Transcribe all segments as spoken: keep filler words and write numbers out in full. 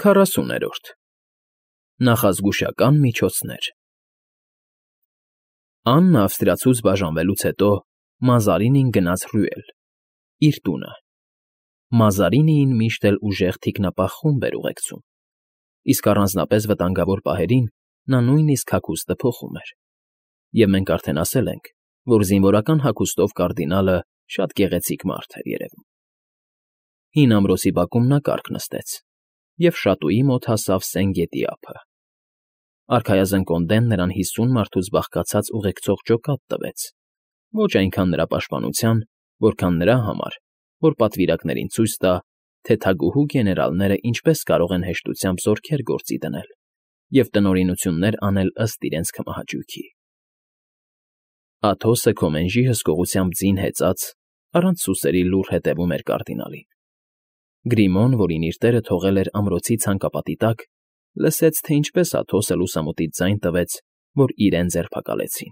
Քառասուներորդ Նախազգուշական միջոցներ Աննը ավստրիացուց բաժանվելուց հետո Մազարինին գնաց Ռյուել, իր տունը. Մազարինիին միշտ էլ ուժեղ թիկնապահ խումբ էր ուղեկցում, իսկ առանձնապես վտանգավոր պահերին նա նույնիսկ հագուստը փոխում էր, և մենք արդեն ասել ենք, որ զինվորական հագուստով կարդինալը շատ գեղեցիկ մարդ էր երևում։ Հին ամրոցի բակում նա կառք նստեց, և շատուի մոտ հասավ Սեն գետի ափը։ Արքայազն կոնդեն նրան հիսուն մարդուց բաղկացած ուղեկցող ջոկատ տվեց, ոչ այնքան նրա պաշտպանության, որքան նրա համար, որ պատվիրակներին ցույց տա, թե թագուհու գեներալները ինչպես կարող են հեշտությամբ զորքեր գործի դնել և տնօրինություններ անել ըստ իրենց քմահաճույքի։ Աթոսը Քոմենժի հսկողությամբ ձին հեծած, առանց սուսերի լուռ հետևում էր կարդինալին։ Գրիմոն, որին իր տերը թողել էր ամրոցի ցանկապատի տակ, լսեց, թե ինչպես Աթոսը լուսամուտից ձայն տվեց, որ իրեն ձերբակալեցին։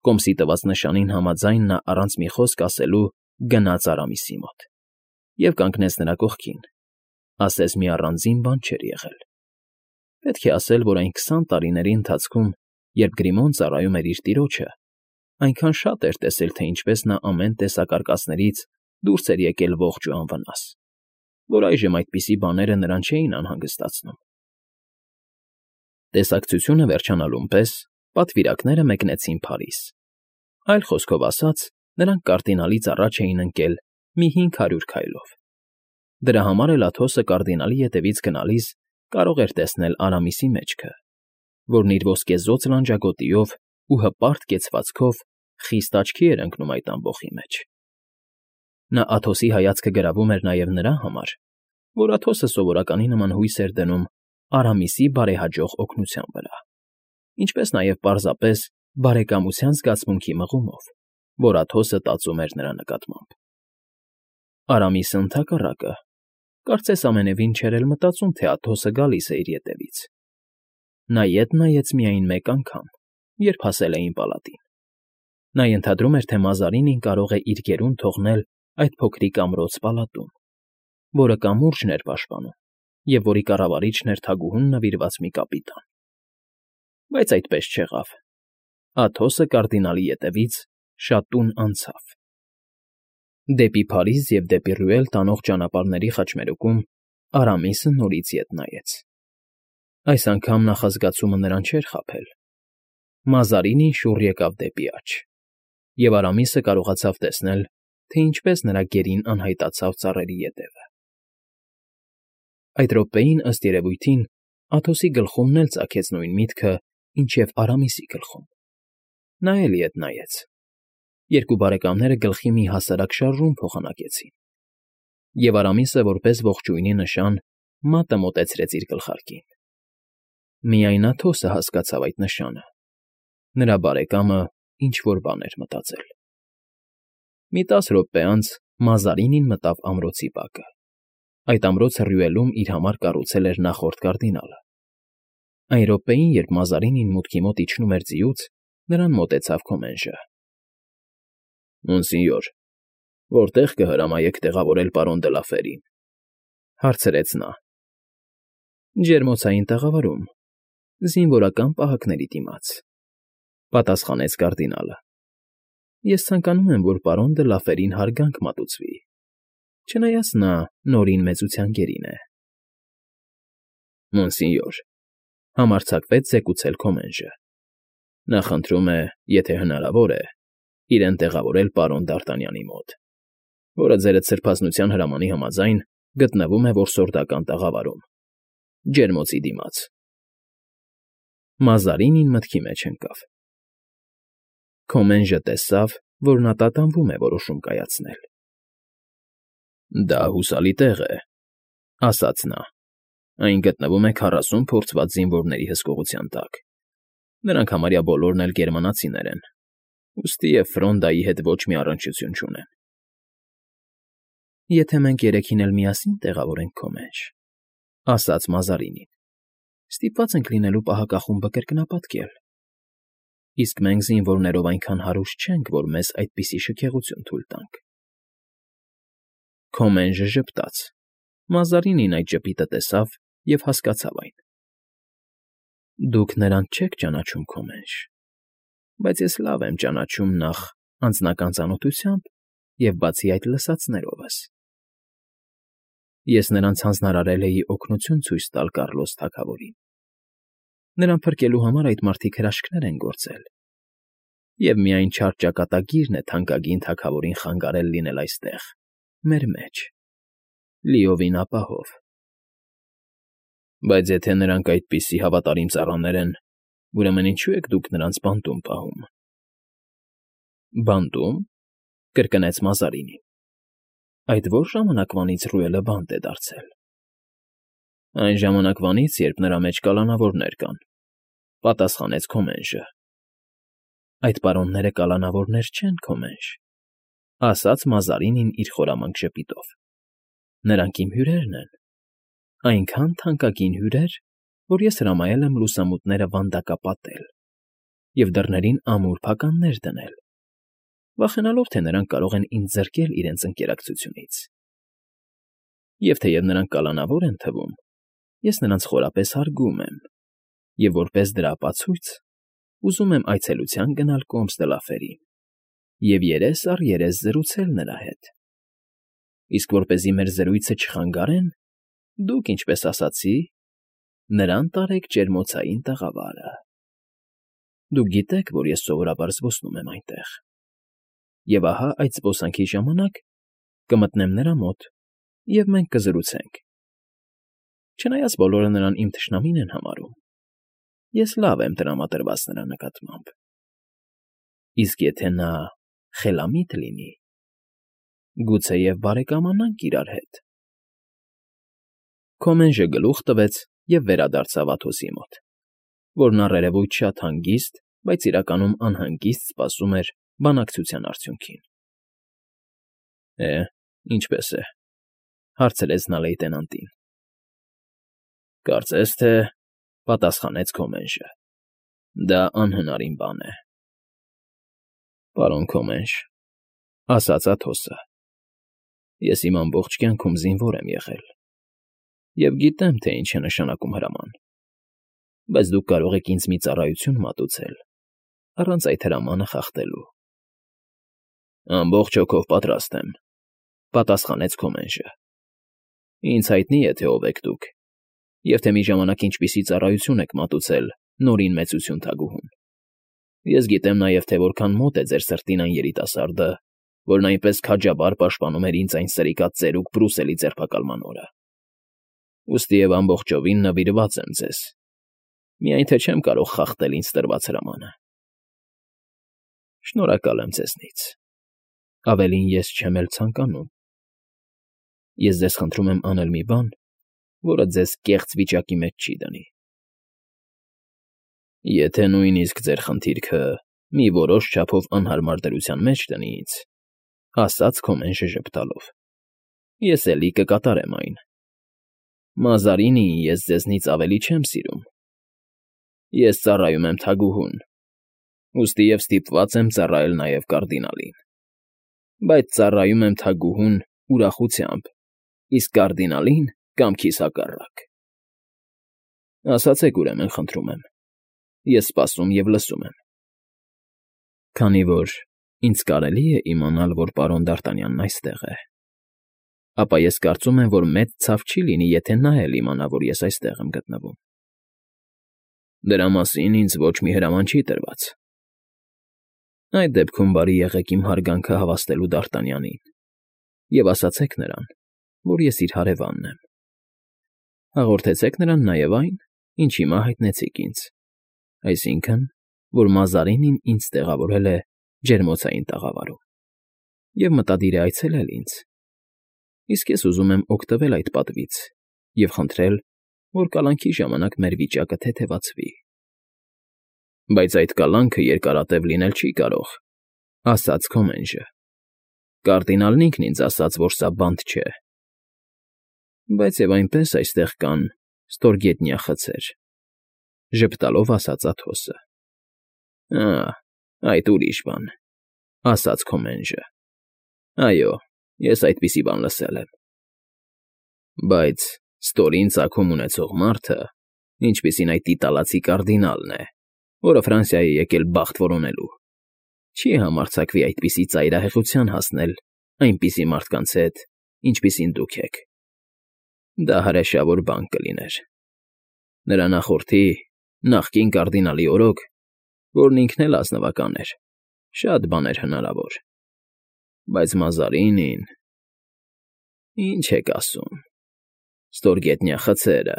Կոմսի տված նշանին համաձայն նա առանց մի խոսք ասելու գնաց Արամիսի մոտ և կանգնեց նրա կողքին, ասես մի առանձին բան չէր եղել։ Պետք է ասել, որ այն քսան տարիների ընթացքում, երբ Գրիմոն ծառայում էր իր տիրոջը, այնքան շատ էր տեսել, թե ինչպես նա ամեն տեսակ արկածներից դուրս էր եկել ողջ ու անվնաս, որ այժմ այդպիսի բաները նրան չէին անհանգստացնում։ Տեսակցությունը վերջանալուն պես պատվիրակները մեկնեցին Փարիզ։ Այլ խոսքով ասած, նրանք կարդինալից առաջ էին ընկել մի հինգ հարյուր քայլով։ Դրա համար էլ Աթոսը կարդինալի ետևից գնալիս կարող էր տեսնել Արամիսի մեջքը, որն իր ոսկեզօծ լանջագոտիով ու հպարտ կեցվածքով խիստ աչքի էր ընկնում այդ ամբոխի մեջ։ Նա Աթոսի հայացքը գրավում էր նաև նրա համար, որ Աթոսը սովորականի նման հույս էր դնում Արամիսի բարեհաջող օգնության վրա, ինչպես նաև պարզապես բարեկամության զգացմունքի մղումով, որ Աթոսը տածում էր նրա նկատմամբ։ Արամիսը, ընդհակառակը, կարծես ամենևին չէր էլ մտածում, թե Աթոսը գալիս է իր ետևից։ Նա ետ նայեց միայն մեկ անգամ, երբ հասել էին պալատին։ Նա ենթադրում էր, թե Մազարինին կարող է իր գերուն թողնել այդ փոքրիկ ամրոց֊պալատում, որը կամուրջն էր պաշտպանում և որի կառավարիչն էր թագուհուն նվիրված մի կապիտան։ Բայց այդպես չեղավ։ Աթոսը կարդինալի ետևից շատուն անցավ։ Դեպի Փարիզ և դեպի Ռյուել տանող ճանապարհների խաչմերուկում Արամիսը նորից ետ նայեց։ Այս անգամ նախազգացումը նրան չէր խաբել։ Մազարինին շուռ եկավ դեպի աջ, և Արամիսը կարողացավ տեսնել, թե ինչպես նրա գերին անհայտացավ ծառերի ետևը։ Այդ րոպեին, ըստ երևույթին, Աթոսի գլխումն էլ ծագեց նույն միտքը, ինչ և Արամիսի գլխում։ Նա էլ ետ նայեց։ Երկու բարեկամները գլխի մի հասարակ շարժում փոխանակեցին, և Արամիսը, որպես ողջույնի նշան, մատը մոտեցրեց իր գլխարկին։ Միայն Աթոսը հասկացավ այդ նշանը։ Նրա բարեկամը ինչ֊որ բան էր մտածել։ Մի տասը րոպե անց Մազարինին մտավ ամրոցի բակը։ Այդ ամրոցը Ռյուելում իր համար կառուցել էր նախորդ կարդինալը։ Այն րոպեին, երբ Մազարինին մուտքի մոտ իջնում էր ձիուց, նրան մոտեցավ Քոմենժը։ ֊ Մոնսինյոր, որտե՞ղ կհրամայեք տեղավորել պարոն դը Լաֆերին,֊ հարցրեց նա։ ֊ Ջերմոցային տաղավարում, զինվորական պահակների դիմաց,֊ պատասխանեց կարդինալը։ Ես ցանկանում եմ, որ պարոն դը Լաֆերին հարգանք մատուցվի, չնայած նա Նորին մեծության գերին է։ ֊ Մոնսինյոր,֊ համարձակվեց զեկուցել Քոմենժը,֊ նա խնդրում է, եթե հնարավոր է, իրեն տեղավորել պարոն Դ'Արտանյանի մոտ, որը ձերդ սրբազնության հրամանի համաձայն գտնվում է որսորդական տաղավարում, ջերմոցի դիմաց։ Մազարինին մտքի մեջ ընկավ։ Քոմենժը տեսավ, որ նա տատանվում է որոշում կայացնել։ ֊ Դա հուսալի տեղ է,֊ ասաց նա։ Այն գտնվում է քառասուն փորձված զինվորների հսկողության տակ։ Նրանք համարյա բոլորն էլ գերմանացիներ են, ուստիև Ֆրոնդայի հետ ոչ մի առնչություն չունեն։ ֊ Եթե մենք երեքին էլ միասին տեղավորենք Քոմենժ,֊ ասաց Մազարինին,֊ ստիպված ենք լինելու պահակախումբը կրկնապատկել։ Իսկ մենք զինվորներով այնքան հարուստ չենք, որ մեզ այդպիսի շքեղություն թույլ տանք։ Քոմենժը ժպտաց։ Մազարինին այդ ժպիտը տեսավ և հասկացավ այն։ Դուք նրան չեք ճանաչում, Քոմենջ, բայց ես լավ եմ ճանաչում նախ անձնական ծանոթությամբ և բացի այդ լսածներովս։ Ես նրանց հանձնարարել էի օգնություն ցույց տալ Կառլոս թագավորին. նրան փրկելու համար այդ մարդիկ հրաշքներ են գործել, և միայն չար ճակատագիրն է թանկագին թագավորին խանգարել լինել այստեղ, մեր մեջ, լիովին ապահով։ Բայց եթե նրանք այդպիսի հավատարիմ ծառաներ են, ուրեմն ինչո՞ւ եք դուք նրանց բանտում պահում։ ֊ Բանտում,֊ կրկնեց Մազարինին։ Այդ ո՞ր ժամանակվանից Ռուէլը բանտ է դարձել։ ֊ Այն ժամանակվանից, երբ նրա մեջ կալանավորներ կան,֊ պատասխանեց Քոմենժը։ ֊ Այդ պարոնները կալանավորներ չեն, Քոմենջ,֊ ասաց Մազարինին իր խորամանկ ժպիտով։ Նրանք իմ հյուրերն են, այնքան թանկագին հյուրեր, որ ես հրամայել եմ լուսամուտները վանդակապատել և դռներին ամուր փականներ դնել, վախենալով, թե նրանք կարող են ինձ զրկել իրենց ընկերակցությունից։ Եվ թեև նրանք կալանավոր են թվում, ես նրանց խորապես հարգում եմ և, որպես դրա ապացույց, ուզում եմ այցելության գնալ Կոմս դը Լաֆերին և երես առ երես զրուցել նրա հետ։ Իսկ որպեսզի մեր զրույցը չխանգարեն, դուք, ինչպես ասացի, նրան տարեք ջերմոցային տաղավարը։ Դուք գիտեք, որ ես սովորաբար զբոսնում եմ այնտեղ, և ահա այդ զբոսանքի ժամանակ կմտնեմ նրա մոտ, և մենք կզրուցենք։ Չնայած բոլորը նրան իմ թշնամին են համարում, ես լավ եմ տրամադրված նրա նկատմամբ։ Իսկ եթե նա խելամիտ լինի, գուցեև բարեկամանանք իրար հետ։ Քոմենժը գլուխ տվեց և վերադարձավ Աթոսի մոտ, որն առերևույթ շատ հանգիստ, բայց իրականում անհանգիստ սպասում էր բանակցության արդյունքին։ ֊ Է, ինչպե՞ս է,֊ հարցրեց նա լեյտենանտին։ ֊ Կարծես թե,֊ պատասխանեց Քոմենժը,֊ դա անհնարին բան է։ ֊ Պարոն Քոմենջ,֊ ասաց Աթոսը,֊ ես իմ ամբողջ կյանքում զինվոր եմ եղել և գիտեմ, թե ինչ է նշանակում հրաման, բայց դուք կարող եք ինձ մի ծառայություն մատուցել առանց այդ հրամանը խախտելու։ ֊ Ամբողջ հոգով պատրաստ եմ,֊ պատասխանեց Քոմենժը։ Ինձ հայտնի է, թե ով եք դուք, և թե մի ժամանակ ինչպիսի ծառայություն եք մատուցել Նորին Մեծություն թագուհուն։ Ես գիտեմ նաև, թե որքան մոտ է ձեր սրտին այն երիտասարդը, որն այնպես քաջաբար պաշտպանում էր ինձ այն սրիկատ ծերուկ Բրուսելի ձերբակալման օրը։ Ուստի և ամբողջովին նվիրված եմ ձեզ, միայն թե չեմ կարող խախտել ինձ տրված հրամանը։ ֊ Շնորհակալ եմ ձեզնից, ավելին ես չեմ էլ ցանկանում։ Ես ձեզ խնդրում եմ անել մի բան, որը ձեզ կեղծ վիճակի մեջ չի դնի։ ֊ Եթե նույնիսկ ձեր խնդիրքը մի որոշ չափով անհարմար դրության մեջ դնի ինձ,֊ ասաց Քոմենժը ժպտալով,֊ ես էլի կկատարեմ այն։ Մազարինիին ես ձեզնից ավելի չեմ սիրում։ Ես ծառայում եմ թագուհուն, ուստի և ստիպված եմ ծառայել նաև կարդինալին։ Բայց ծառայում եմ թագուհուն ուրախությամբ, իսկ կարդինալին՝ կամքիս հակառակ։ Ասացեք, ուրեմն, խնդրում եմ, ես սպասում և լսում եմ։ ֊ Քանի որ ինձ կարելի է իմանալ, որ պարոն Դ'Արտանյանն այստեղ է, ապա ես կարծում եմ, որ մեծ ցավ չի լինի, եթե նա էլ իմանա, որ ես այստեղ եմ գտնվում։ ֊ Դրա մասին ինձ ոչ մի հրաման չի տրված։ ֊ Այդ դեպքում բարի եղեք իմ հարգանքը հավաստելու Դ'Արտանյանին և ասացեք նրան, որ ես իր հարևանն եմ։ Հաղորդեցեք նրան նաև այն, ինչ հիմա հայտնեցիք ինձ, այսինքն, որ Մազարինին ինձ տեղավորել է ջերմոցային տաղավարում և մտադիր է այցելել ինձ, իսկ ես ուզում եմ օգտվել այդ պատվից և խնդրել, որ կալանքի ժամանակ մեր վիճակը թեթևացվի։ ֊ Բայց այդ կալանքը երկարատև լինել չի կարող,֊ ասաց Քոմենժը։ Կարդինալն ինքն ինձ ասաց, որ սա բանտ չէ։ ֊ Բայց և այնպես այստեղ կան ստորգետնյա խցեր,֊ ժպտալով ասաց Աթոսը։ ֊ Ա՜, այդ ուրիշ բան,֊ ասաց Քոմենժը։ ֊ Այո, ես այդպիսի բան լսել եմ։ ֊ Բայց Ստորին ծագում ունեցող մարդը, ինչպիսին այդ իտալացի կարդինալն է, որը Ֆրանսիայի է եկել բախտ որոնելու, չի համարձակվի այդպիսի ծայրահեղության հասնել այնպիսի մարդկանց հետ, ինչպիսին դուք եք. դա հրեշավոր բան կլիներ։ Նրա նախորդի, նախկին կարդինալի օրոք, որն ինքն էլ ազնվական էր, շատ բան էր հնարավոր, բայց Մազարինին… Ինչ եք ասում, ստորգետնյա խցերը…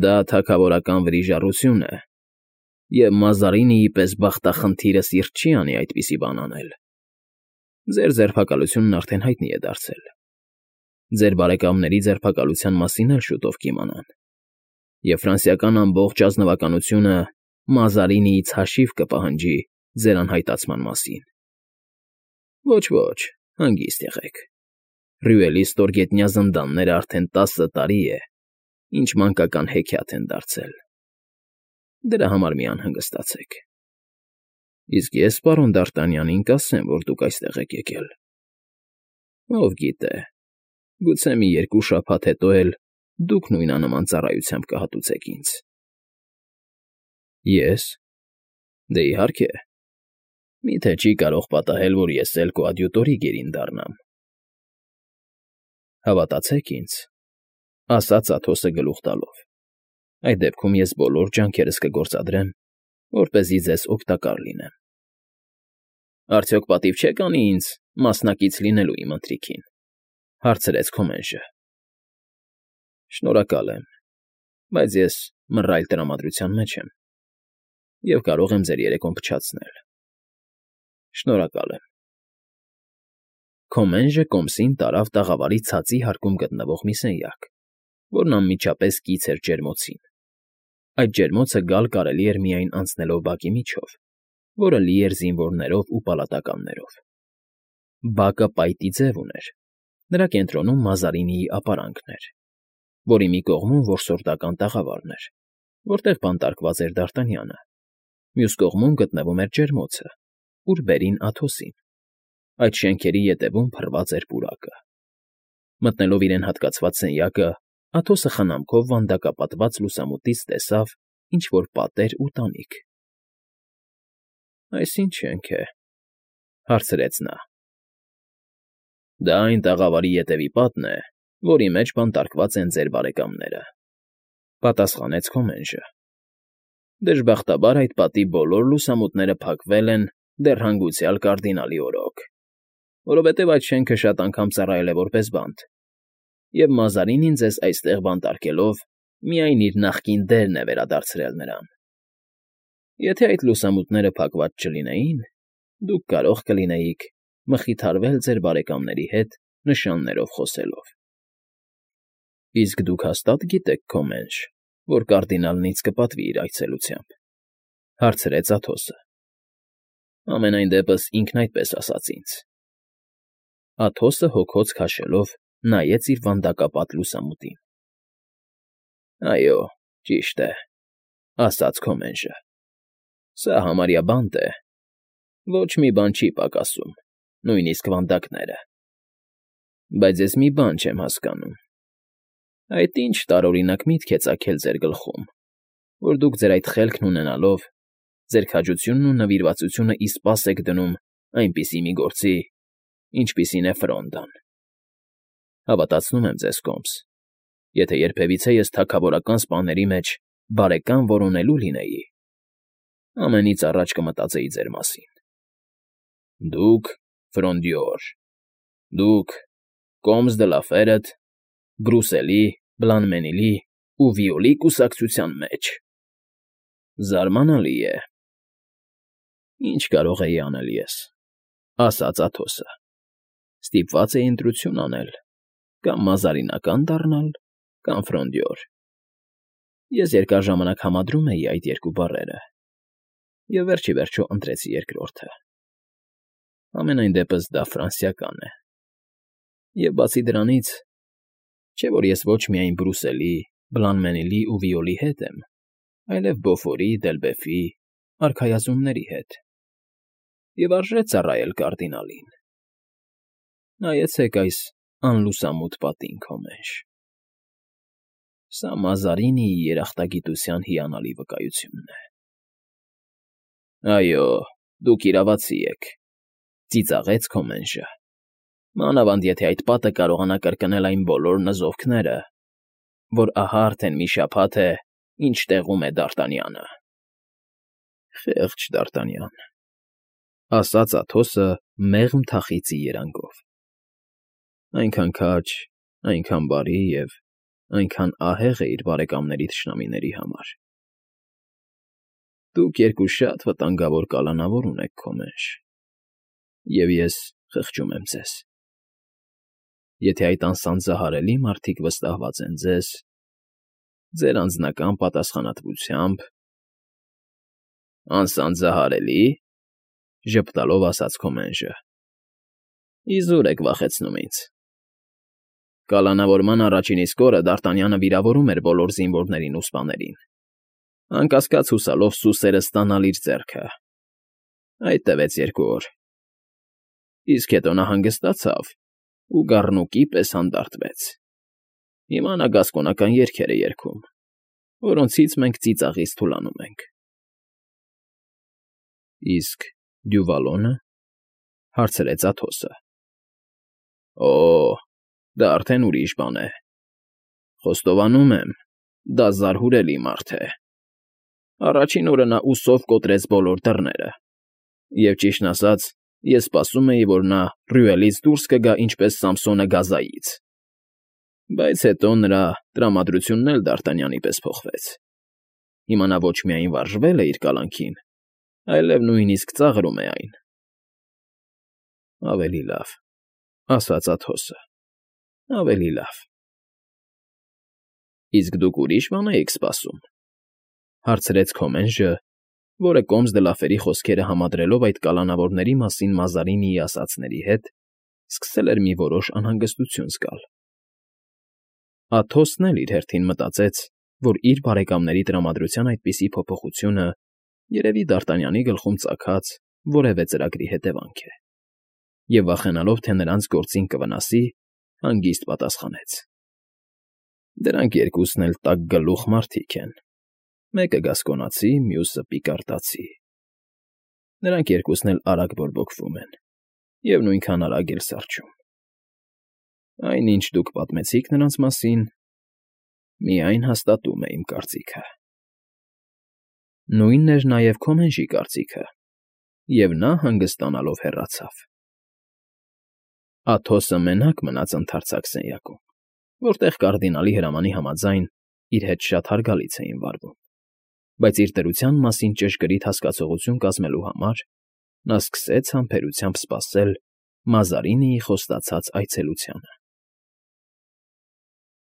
Դա թագավորական վրիժառություն է, և Մազարինիի պես բախտախնդիրը սիրտ չի անի այդպիսի բան անել։ Ձեր ձերբակալությունն արդեն հայտնի է դարձել, ձեր բարեկամների ձերբակալության մասին էլ շուտով կիմանան, և ֆրանսիական ամբողջ ազնվականությունը Մազարինիից հաշիվ կպահանջի ձեր անհայտացման մասին։ Ոչ, ոչ, հանգիստ եղեք, Ռյուելի ստորգետնյա զնդանները արդեն տասը տարի է, ինչ մանկական հեքիաթ են դարձել։ Դրա համար մի անհանգստացեք։ Իսկ ես պարոն Դ'Արտանյանին կասեմ, որ դուք այստեղ եք եկել։ Ով գիտե, գուցե մի երկու շաբաթ հետո էլ դուք նույնանման ծառայությամբ կհատուցեք ինձ։ Ես… Դե իհարկե, միթե չի կարող պատահել, որ ես էլ քո ադյուտորի գերին դառնամ։ Հավատացեք ինձ, ասաց Աթոսը գլուխ տալով, այդ դեպքում ես բոլոր ջանքերս կգործադրեմ, որպեսզի ձեզ օգտակար լինեմ։ Արդյոք պատիվ չեք անի ինձ մասնակից լինելու իմ ընթրիքին, հարցրեց Քոմենժը։ Շնորհակալ եմ, բայց ես մռայլ տրամադրության մեջ եմ և կարող եմ ձեր երեկոն փչացնել։ Շնորհակալ եմ։ Քոմենժը կոմսին տարավ տաղավարի ցածի հարկում գտնվող մի սենյակ, որն անմիջապես կից էր ջերմոցին։ Այդ ջերմոցը գալ կարելի էր միայն անցնելով բակի միջով, որը լի էր զինվորներով ու պալատականներով։ Բակը պայտի ձև ուներ, նրա կենտրոնում Մազարինիի ապարանքն էր, որի մի կողմում որսորդական տաղավարն էր, որտեղ բանտարկված էր Դ'Արտանյանը, մյուս կողմում գտնվում էր ջերմոցը, ուր բերին Աթոսին։ Այդ շենքերի ետևում փռված էր պուրակը։ Մտնելով իրեն հատկացված սենյակը, Աթոսը խնամքով վանդակապատված լուսամուտից տեսավ ինչ֊որ պատեր ու տանիք։ Այս ինչ շենք է, հարցրեց նա։ Դա այն տաղավարի ետևի պատն է, որի մեջ բանտարկված են ձեր բարեկամները, պատասխանեց Քոմենժը։ Դժբախտաբար այդ պատի բոլոր լուսամուտները փակվել են դեռ հանգուցյալ կարդինալի օրոք, որովհետև այդ շենքը շատ անգամ ծառայել է որպես բանտ, և Մազարինին ձեզ այստեղ բանտարկելով միայն իր նախկին դերն է վերադարձրել նրան։ Եթե այդ լուսամուտները փակված չլինեին, դուք կարող կլինեիք մխիթարվել ձեր բարեկամների հետ նշաններով խոսելով։ Իսկ դուք հաստա՞տ գիտեք, Քոմենժ, որ կարդինալն ինձ կպատվի իր այցելությամբ, հարցրեց Աթոսը։ Համենայն դեպս ինքն այդպես ասաց ինձ։ Աթոսը հոգոց քաշելով նայեց իր վանդակապատ լուսամուտին։ Այո, ճիշտ է, ասաց Քոմենժը։ Սա համարյա բանտ է, ոչ մի բան չի պակասում, նույնիսկ վանդակները։ Բայց ես մի բան չեմ հասկանում. այդ ինչ տարօրինակ միտք է ծագել ձեր գլխում, որ դուք ձեր այդ խելքն ունենալով, ձեր քաջությունն ու նվիրվածությունը իսպաս եք դնում այնպիսի մի գործի, ինչպիսին է ֆրոնդան։ Հավատացնում եմ ձեզ, Կոմս, եթե երբևիցե ես թագավորական սպաների մեջ բարեկամ որոնելու լինեի, ամենից առաջ կմտածեի ձեր մասին։ Դուք, Ֆրոնդյոր, դուք, Կոմս դը Լաֆերըտ, Բրուսելի, Բլանմենիլի ու Վիոլի կուսակցության մեջ… Զարմանալի է։ Ինչ կարող էի անել ես, ասաց Աթոսը։ Ստիպված էի ընտրություն անել, կամ մազարինական դառնալ, կամ Ֆրոնդյոր։ Ես երկար ժամանակ համադրում էի այդ երկու բառերը, և վերջ ի վերջո ընտրեցի երկրորդը։ Համենայն դեպս դա ֆրանսիական է։ Եվ բացի դրանից, չէ՞ որ ես ոչ միայն Բրուսելի, Բլանմենիլի ու Վիոլի հետ եմ, այլև Բոֆորի, Դելբեֆի, արքայազնների հետ, և արժե ծառայել կարդինալին։ Նայեցեք այս անլուսամուտ պատին, Քոմենժ։ Սա Մազարինիի երախտագիտության հիանալի վկայությունն է։ ֊ Այո, դուք իրավացի եք,֊ ծիծաղեց Քոմենժը,֊ մանավանդ եթե այդ պատը կարողանա կրկնել այն բոլոր նզովքները, որ ահա արդեն մի շաբաթ է, ինչ տեղում է Դ'Արտանյանը։ ֊ Խեղճ Դ'Արտանյան,֊ ասաց Աթոսը մեղմ թախիծի երանգով,֊ այնքան քաջ, այնքան բարի և այնքան ահեղ է իր բարեկամների թշնամիների համար։ Դուք երկու շատ վտանգավոր կալանավոր ունեք, Քոմենջ, և ես խղճում եմ ձեզ։ Եթե այդ անսանձահարելի մարդիկ վստահված են ձեզ, ձեր անձնական պատասխանատվությամբ… ֊ Անսանձահարելի՞,֊ ժպտալով ասաց Քոմենժը։֊ Իզուր եք վախեցնում ինձ։ Կալանավորման առաջին իսկ օրը Դ'Արտանյանը վիրավորում էր բոլոր զինվորներին ու սպաներին, անկասկած հուսալով սուսերը ստանալ իր ձեռքը։ Այդ տևեց երկու օր, իսկ հետո նա հանգստացավ ու գառնուկի պես հանդարտվեց։ Հիմա նա գասկոնական երգեր է երգում, որոնցից մենք ծիծաղից թուլանում ենք։ ֊ Իսկ Դյուվալո՞նը,֊ հարցրեց Աթոսը։ Օ՜, դա արդեն ուրիշ բան է։ Խոստովանում եմ, դա զարհուրելի մարդ է։ Առաջին օրը նա ուսով կոտրեց բոլոր դռները, և, ճիշտն ասած, ես սպասում էի, որ նա Ռյուելից դուրս կգա ինչպես Սամսոնը գազայից։ Բայց հետո նրա տրամադրությունն էլ Դ'Արտանյանի պես փոխվեց։ Հիմա նա ոչ միայն վարժվել է իր կալանքին, այլև նույնիսկ ծաղրում է այն։ ֊ Ավելի լավ,֊ ասաց Աթոսը,֊ ավելի լավ։ ֊ Իսկ դուք ուրիշ բան էիք սպասում,֊ հարցրեց Քոմենժը, որը Կոմս դը Լաֆերի խոսքերը համադրելով այդ կալանավորների մասին Մազարինիի ասածների հետ, սկսել էր մի որոշ անհանգստություն զգալ։ Աթոսն էլ իր հերթին մտածեց, որ իր բարեկամների տրամադրության այդպիսի փոփոխությունը երևի Դ'Արտանյանի գլխում ծագած որևէ ծրագրի հետևանք է, և վախենալով, թե նրանց գործին կվնասի, հանգիստ պատասխանեց. ֊ Դրանք երկուսն էլ տակգլուխ մարդիկ են, մեկը գասկոնացի, մյուսը պիկարտացի։ Նրանք երկուսն էլ արագ բորբոքվում են և նույնքան արագ էլ սառչում։ Այն, ինչ դուք պատմեցիք նրանց մասին, միայն հաստատում է իմ կարծիքը։ Նույնն էր նաև Քոմենժի կարծիքը, և նա հանգստանալով հեռացավ։ Աթոսը մենակ մնաց ընդարձակ սենյակում, որտեղ կարդինալի հրամանի համաձայն իր հետ շատ հարգալից էին վարվում, բայց իր դրության մասին ճշգրիտ հասկացողություն կազմելու համար նա սկսեց համբերությամբ սպասել Մազարինիի խոստացած այցելությանը։